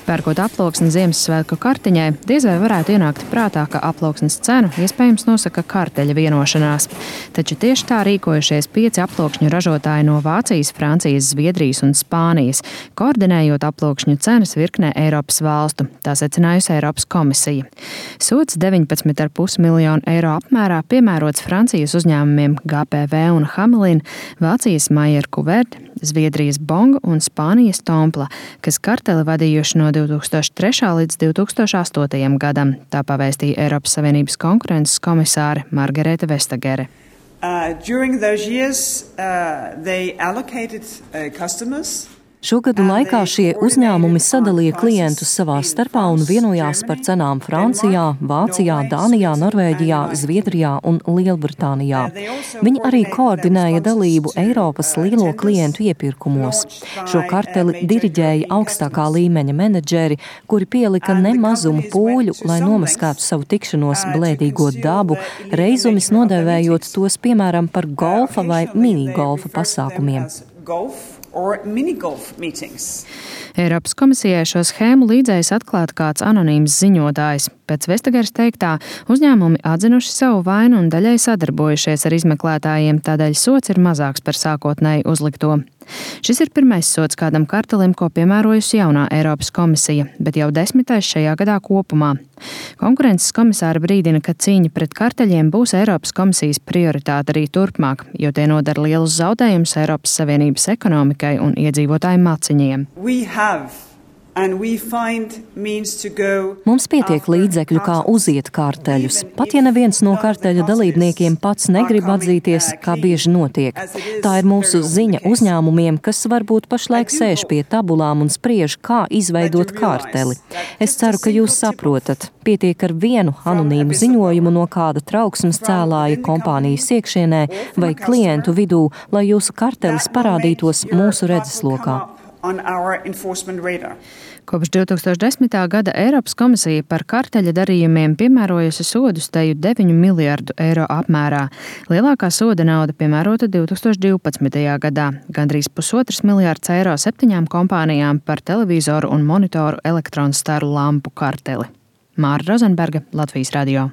Pērkot aploksni Ziemassvētku kartiņai, diez vai varētu ienākt prātā, ka aploksnes cenu iespējams nosaka karteļa vienošanās. Taču tieši tā rīkojušies 5 aploksņu ražotāji no Vācijas, Francijas, Zviedrijas un Spānijas, koordinējot aploksņu cenas virknē Eiropas valstu, tā secinājusi Eiropas komisija. Sods 19,5 miljonu eiro apmērā piemērots Francijas uzņēmumiem GPV un Hamelin, Vācijas Maier Kuvert, Zviedrijas Bong un Spānijas Tompla, kas karteli vadījuši no 2003. līdz 2008. gadam, tā pavēstīja Eiropas Savienības konkurences komisāre Margarete Vestagere. During those years, they allocated customers. Šo gadu laikā šie uzņēmumi sadalīja klientus savā starpā un vienojās par cenām Francijā, Vācijā, Dānijā, Norvēģijā, Zviedrijā un Lielbritānijā. Viņi arī koordinēja dalību Eiropas lielo klientu iepirkumos. Šo karteli diriģēja augstākā līmeņa menedžeri, kuri pielika nemazumu pūļu, lai nomaskētu savu tikšanos blēdīgo dabu, reizumis nodēvējot tos piemēram par golfa vai minigolfa pasākumiem. Eiropas komisijai šo schēmu līdzējis atklāt kāds anonīms ziņotājs. Pēc Vestagares teiktā, uzņēmumi atzinuši savu vainu un daļai sadarbojušies ar izmeklētājiem, tādēļ sods ir mazāks par sākotnēji uzlikto. Šis ir pirmais sods kādam kartelim, ko piemērojusi jaunā Eiropas komisija, bet jau 10. šajā gadā kopumā. Konkurences komisāra brīdina, ka cīņa pret karteļiem būs Eiropas komisijas prioritāte arī turpmāk, jo tie nodara lielus zaudējumus Eiropas Savienības ekonomikai un iedzīvotāju maciņiem. Mums pietiek līdzekļu, kā uziet karteļus. Pat ja neviens no karteļa dalībniekiem pats negrib atzīties, kā bieži notiek. Tā ir mūsu ziņa uzņēmumiem, kas varbūt pašlaik sēž pie tabulām un spriež, kā izveidot karteli. Es ceru, ka jūs saprotat. Pietiek ar vienu anonīmu ziņojumu no kāda trauksmes cēlāja kompānijas iekšienē vai klientu vidū, lai jūsu kartelis parādītos mūsu redzeslokā. Kopš 2010. gada Eiropas komisija par karteļa darījumiem piemērojusi sodus teju 9 miljardu eiro apmērā. Lielākā soda nauda piemērota 2012. gadā, gandrīz 1,5 miljārds eiro 7 kompānijām par televizoru un monitoru elektronstaru lampu karteli. Māra Rozenberga, Latvijas radio.